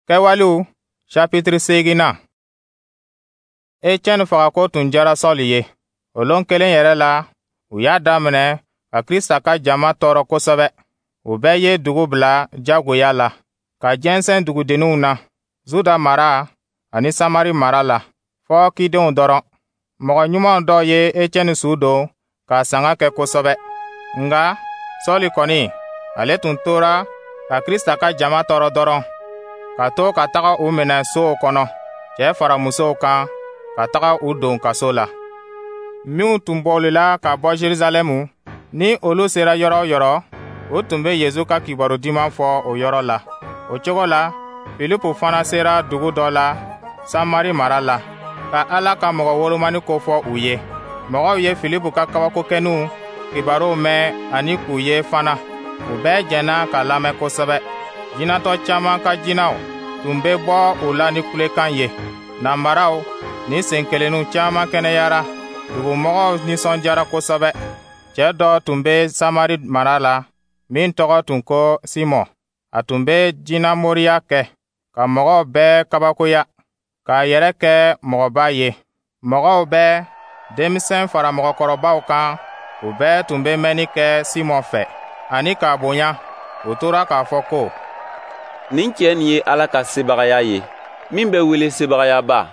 Kɛwalew chapitre 8nan. Etiɛni fagako tun diyara Sɔli ye. O lon kelen yɛrɛ la, u y'a daminɛ ka Krista ka jama tɔɔrɔ kosɛbɛ. U bɛɛ ye dugu bila jagoya la, ka jɛnsɛn dugudenninw na, Zuda mara ani Samari mara la, fɔ cidenw dɔrɔn. Mɔgɔ ɲumanw dɔw ye Etiɛni su don k'a sanga kɛ kosɛbɛ. Nka Sɔli kɔni, ale tun tora ka Krista ka jama tɔɔrɔ dɔrɔn, ka to ka taga u minɛ sow kɔnɔ, cɛɛ fara musow kan, ka taga u don kaso la. Minw tun bolila ka bɔ Jerusalɛmu, ni olu sera yɔrɔ o yɔrɔ, u tun bɛ Yezu ka kibaru diman fɔ o yɔrɔ la. O cogo la, Filipu fana sera dugu dɔ la Samari mara la, ka Ala ka mɔgɔ wolomani ko fɔ u ye. Mɔgɔw ye Filipu ka kabakokɛninw kibaruw mɛn ani k'u ye fana. U bɛɛ jɛnna k'a lamɛn kosɛbɛ. Jinɛtɔ caman ka jinɛw tun bɛ bɔ u la ni kulekan ye. Nanbaraw ni senkelenninw caman kɛnɛyara. Dugumɔgɔw nisɔndiyara kosɛbɛ. Cɛ dɔ tun bɛ Samari mara la min tɔgɔ tun ko Simɔn. A tun bɛ jinɛmoriya kɛ, ka mɔgɔw bɛɛ kabakoya, k'a yɛrɛ kɛ mɔgɔba ye. Mɔgɔw bɛɛ, denmisɛn fara mɔgɔkɔrɔbaw kan, u bɛɛ tun bɛ mɛnni kɛ Simɔn fɛ ani k'a bonya. U tora k'a fɔ ko: Nin cɛ nin ye Ala ka sebagaya ye, min bɛ wele sebagayaba.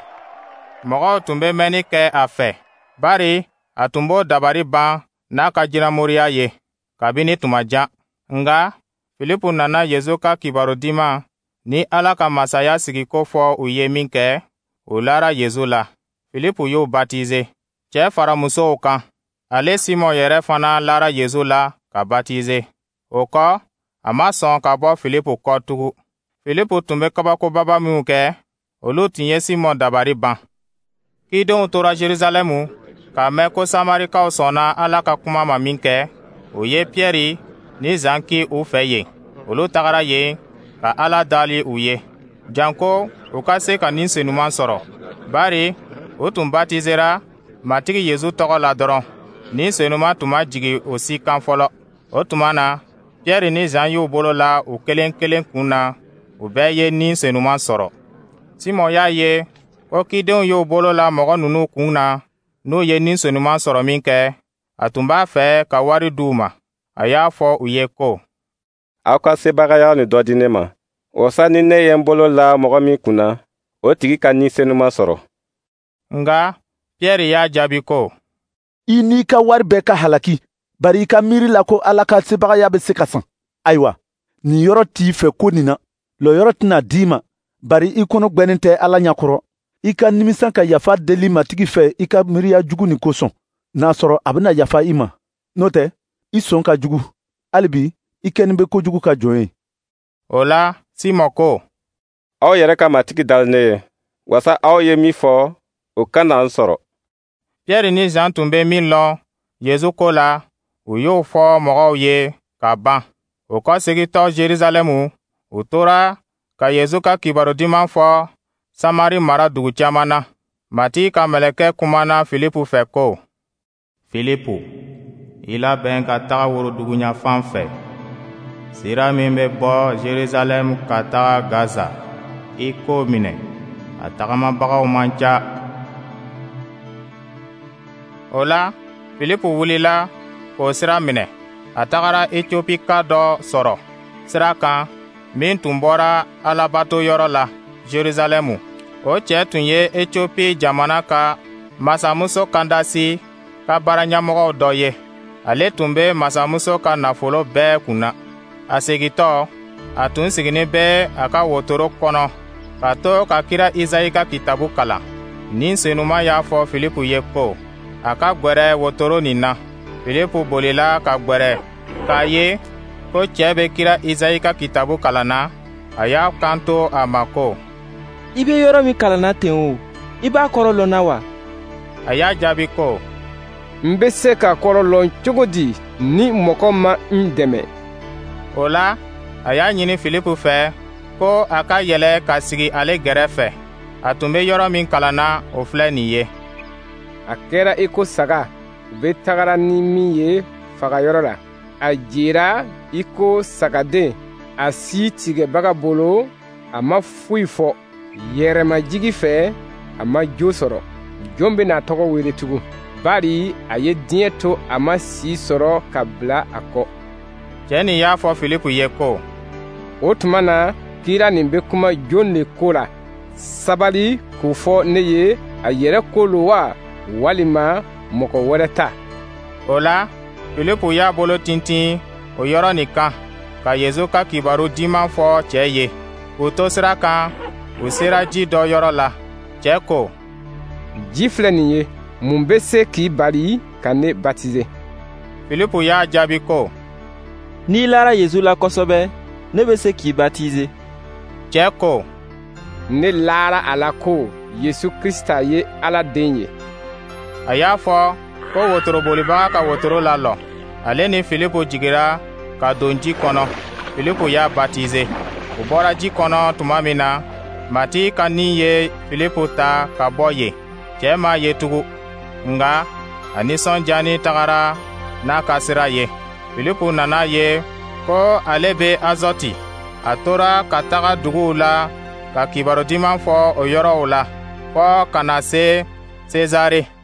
Mɔgɔw tun bɛ mɛnni kɛ a fɛ, bari a tun b'o dabari ban n'a ka jinɛmoriya ye kabini tuma jan. Nka Filipu nana Yezu ka kibaru diman ni Ala ka masaya sigiko fɔ u ye minkɛ, u lara Yezu la. Filipu y'u batize, cɛɛ fara musow kan. Ale Simɔn yɛrɛ fana lara Yezu la ka batize. O kɔ, a ma sɔn ka bɔ Filipu kɔ tugun. Filipu tun bɛ kabakobaba minw kɛ, olu tun ye Simɔn dabari ban. Cidenw tora Jerusalɛmu k'a mɛn ko Samarikaw sɔnna Ala ka kuma ma minkɛ, u ye Piyɛri ni Zan ci u fɛ yen. Olu tagara yen ka Ala dali u ye, janko u ka se ka Ni Senuman sɔrɔ, bari u tun batizera Matigi Yezu tɔgɔ la dɔrɔn. Ni Senuman tun ma jigin o si kan fɔlɔ. O tuma na, Piyɛri ni Zan y'u bolo la u kelen kelen kun na, u bɛɛ ye Ni Senuman sɔrɔ. Simɔn y'a ye ko cidenw y'u bolo la mɔgɔ ninnu kun na, n'u ye Ni Senuman sɔrɔ minkɛ, a tun b'a fɛ ka wari d'u ma. A y'a fɔ u ye ko: Aw ka sebagaya nin dɔ di ne ma, wasa ni ne ye n bolo la mɔgɔ min kun na, o tigi ka Ni Senuman sɔrɔ. Nka Piyɛri y'a jaabi ko: I n'i ka wari bɛɛ ka halaki, bari i ka miiri la ko Ala ka sebagaya bɛ se ka san. Ayiwa, nin yɔrɔ t'i fɛ ko nin na, lɔyɔrɔ tɛna d'i ma, bari i kɔnɔ gwɛnnen tɛ Ala ɲɛkɔrɔ. I ka nimisa ka yafa deli Matigi fɛ i ka miiriya jugu nin kosɔn, n'a sɔrɔ a bɛna yafa i ma. N'o tɛ, i sɔn ka jugu. Hali bi, i kɛnin bɛ kojugu ka jɔn ye. O la, Simɔn ko: Aw yɛrɛ ka Matigi dali ne ye, wasa aw ye min fɔ, o kana n sɔrɔ. Piyɛri ni Zan tun bɛ min lɔn Yezu ko la, u y'o fɔ mɔgɔw ye ka ban. U kɔsegintɔ Jerusalɛmu, u tora ka Yezu ka kibaru diman fɔ Samari mara dugu caman na. Matigi ka mɛlɛkɛ kumana Filipu fɛ ko: Filipu, i labɛn ka taga woroduguyanfan fɛ. Sira min bɛ bɔ Jerusalɛmu ka taga Gaza, i k'o minɛ. A tagamabagaw man ca. O la, Filipu wulila k'o sira minɛ. A tagara Etiopika dɔ sɔrɔ sira kan min tun bɔra Alabatoyɔrɔ la Jerusalɛmu. O cɛ tun ye Etiopi jamana ka masamuso Kandasi ka baaraɲɛmɔgɔw dɔ ye. Ale tun bɛ masamuso ka nafolo bɛɛ kunna. A segintɔ, a tun siginin bɛ a ka wotoro kɔnɔ ka to ka kira Izayi ka kitabu kalan. Ni Senuman y'a fɔ Filipu ye ko a ka gwɛrɛ wotoro nin na. Filipu bolila ka gwɛrɛ k'a ye ko cɛ bɛ kira Izayi ka kitabu kalan na. A y'a kanto a ma ko: I bɛ yɔrɔ min kalanna ten o, i b'a kɔrɔ lɔn na wa? A y'a jaabi ko: N bɛ se k'a kɔrɔ lɔn cogo di ni mɔgɔ ma n dɛmɛ? O la, a y'a ɲini Filipu fɛ ko a ka yɛlɛ ka sigi ale gɛrɛfɛ. A tun bɛ yɔrɔ min kalan na, o filɛ nin ye: A kɛra i ko saga, u bɛ tagara ni min ye fagayɔrɔ la. A jera i ko sagaden, a si tigɛbaga bolo. A ma foyi fɔ. Yɛrɛmajigi fɛ, a ma jo sɔrɔ. Jɔn bɛna a tɔgɔ wele tugun? Bari a ye diɲɛ to, a ma si sɔrɔ ka bila a kɔ. Cɛ nin y'a fɔ Filipu ye ko: O tuma na, kira nin bɛ kuma jɔn le ko la? Sabali k'o fɔ ne ye, a yɛrɛ ko lo wa, walima mɔgɔ wɛrɛ ta? O la, Filipu y'a bolo tintin o yɔrɔ nin kan, ka Yezu ka Kibaru Diman fɔ cɛ ye. K'u to sira kan, u sera ji dɔ yɔrɔ la. Cɛ ko: Ji filɛ nin ye, mun bɛ se k'i bali ka ne batize? Filipu y'a jaabi ko: N'i lara Yezu la kosɛbɛ, ne bɛ se k'i batize. Cɛ ko: Ne lara a la ko Yesu Krisita ye Ala den ye. A y'a fɔ ko wotorobolibaga ka wotoro lalɔ. Ale ni Filipu jigira ka don ji kɔnɔ. Filipu y'a batize. U bɔra ji kɔnɔ tuma min na, Matigi ka Ni ye Filipu ta ka bɔ yen. Cɛ m'a ye tugun, nka a nisɔndiyanin tagara n'a ka sira ye. Filipu nana ye ko ale bɛ Azɔti. A tora ka taga duguw la ka Kibaru Diman fɔ o yɔrɔw la, fɔ ka na se Sezare.